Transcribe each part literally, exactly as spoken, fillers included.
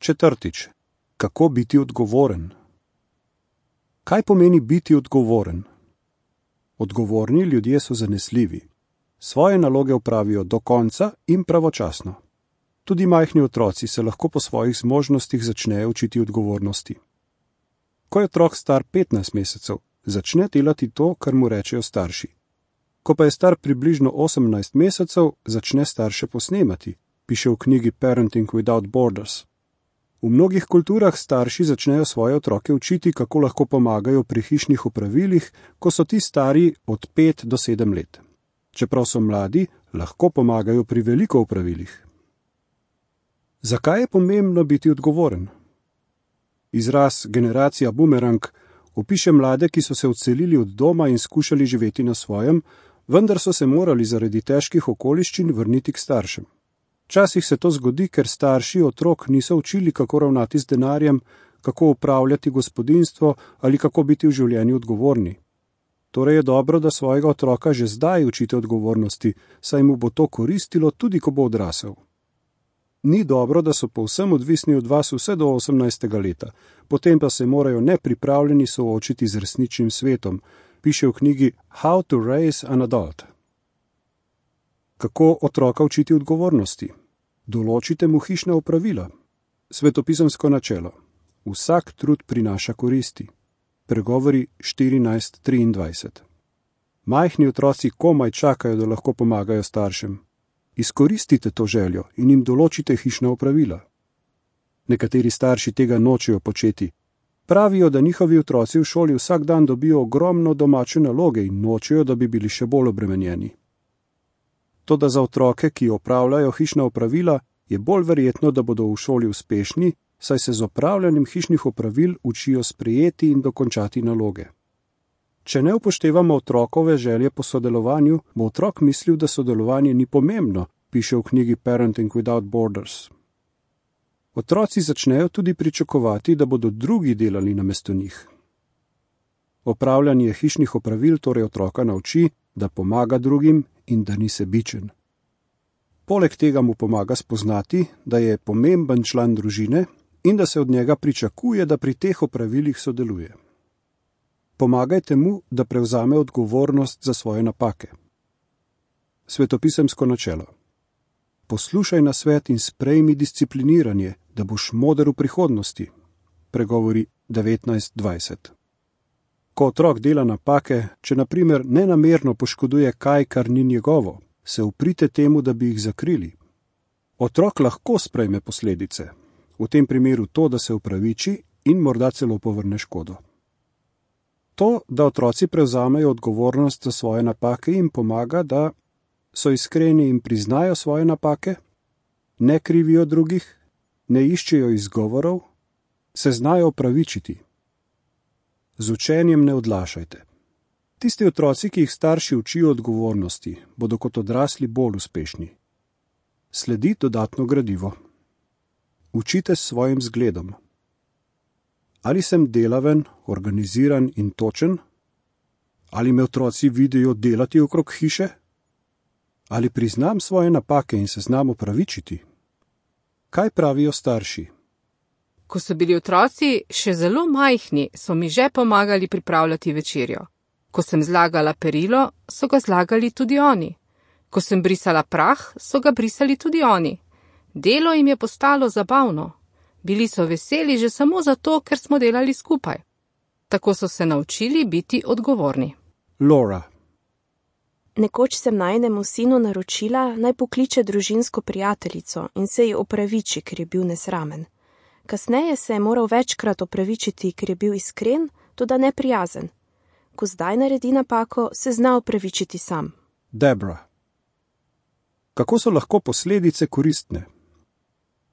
Četrtič. Kako biti odgovoren? Kaj pomeni biti odgovoren? Odgovorni ljudje so zanesljivi. Svoje naloge opravijo do konca in pravočasno. Tudi majhni otroci se lahko po svojih zmožnostih začnejo učiti odgovornosti. Ko je otrok star petnajst mesecev, začne delati to, kar mu rečejo starši. Ko pa je star približno osemnajst mesecev, začne starše posnemati, piše v knjigi Parenting Without Borders. V mnogih kulturah starši začnejo svoje otroke učiti, kako lahko pomagajo pri hišnih opravilih, ko so ti stari od pet do sedem let. Čeprav so mladi, lahko pomagajo pri veliko opravilih. Zakaj je pomembno biti odgovoren? Izraz generacija bumerang opiše mlade, ki so se odselili od doma in skušali živeti na svojem, vendar so se morali zaradi težkih okoliščin vrniti k staršem. Včasih se to zgodi, ker starši otrok niso učili, kako ravnati z denarjem, kako upravljati gospodinjstvo ali kako biti v življenju odgovorni. Torej je dobro, da svojega otroka že zdaj učite odgovornosti, saj mu bo to koristilo tudi, ko bo odrasel. Ni dobro, da so povsem odvisni od vas vse do osemnajstega leta, potem pa se morajo nepripravljeni soočiti z resničnim svetom, piše v knjigi How to Raise an Adult. Kako otroka učiti odgovornosti? Določite mu hišna opravila. Svetopisemsko načelo. Vsak trud prinaša koristi. Pregovori štirinajst triindvajset. Majhni otroci komaj čakajo, da lahko pomagajo staršem. Izkoristite to željo in jim določite hišna opravila. Nekateri starši tega nočejo početi. Pravijo, da njihovi otroci v šoli vsak dan dobijo ogromno domače naloge in nočejo, da bi bili še bolj obremenjeni. Toda za otroke, ki opravljajo hišna opravila, je bolj verjetno, da bodo v šoli uspešni, saj se z opravljanjem hišnih opravil učijo sprejeti in dokončati naloge. Če ne upoštevamo otrokove želje po sodelovanju, bo otrok mislil, da sodelovanje ni pomembno, piše v knjigi Parenting Without Borders. Otroci začnejo tudi pričakovati, da bodo drugi delali namesto njih. Opravljanje hišnih opravil torej otroka nauči, da pomaga drugim in da ni sebičen. Poleg tega mu pomaga spoznati, da je pomemben član družine in da se od njega pričakuje, da pri teh opravilih sodeluje. Pomagajte mu, da prevzame odgovornost za svoje napake. Svetopisemsko načelo. Poslušaj nasvet in sprejmi discipliniranje, da boš moder v prihodnosti. Pregovori devetnajst dvajset. Ko otrok dela napake, če na primer nenamerno poškoduje kaj, kar ni njegovo, se uprite temu, da bi jih zakrili. Otrok lahko sprejme posledice, v tem primeru to, da se upraviči in morda celo povrne škodo. To, da otroci prevzamejo odgovornost za svoje napake, jim pomaga, da so iskreni in priznajo svoje napake, ne krivijo drugih, ne iščejo izgovorov, se znajo opravičiti. Z učenjem ne odlašajte. Tisti otroci, ki jih starši učijo odgovornosti, bodo kot odrasli bolj uspešni. Sledi dodatno gradivo. Učite s svojim zgledom. Ali sem delaven, organiziran in točen? Ali me otroci vidijo delati okrog hiše? Ali priznam svoje napake in se znam opravičiti? Kaj pravijo starši? Ko so bili otroci še zelo majhni, so mi že pomagali pripravljati večerjo. Ko sem zlagala perilo, so ga zlagali tudi oni. Ko sem brisala prah, so ga brisali tudi oni. Delo jim je postalo zabavno. Bili so veseli že samo zato, ker smo delali skupaj. Tako so se naučili biti odgovorni. Laura. Nekoč sem najinemu sinu naročila, naj pokliče družinsko prijateljico in se ji opraviči, ker je bil nesramen. Kasneje se je moral večkrat opravičiti, ker je bil iskren, toda neprijazen. Ko zdaj naredi napako, se zna opravičiti sam. Debra. Kako so lahko posledice koristne?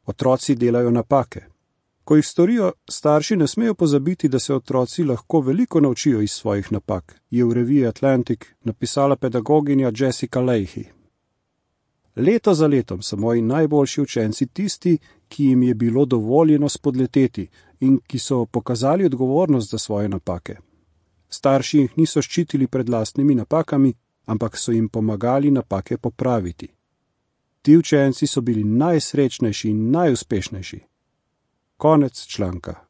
Otroci delajo napake. Ko jih storijo, starši ne smejo pozabiti, da se otroci lahko veliko naučijo iz svojih napak, je v reviji Atlantic napisala pedagoginja Jessica Leahy. Leto za letom so moji najboljši učenci tisti, ki jim je bilo dovoljeno spodleteti in ki so pokazali odgovornost za svoje napake. Starši jih niso ščitili pred lastnimi napakami, ampak so jim pomagali napake popraviti. Ti učenci so bili najsrečnejši in najuspešnejši. Konec članka.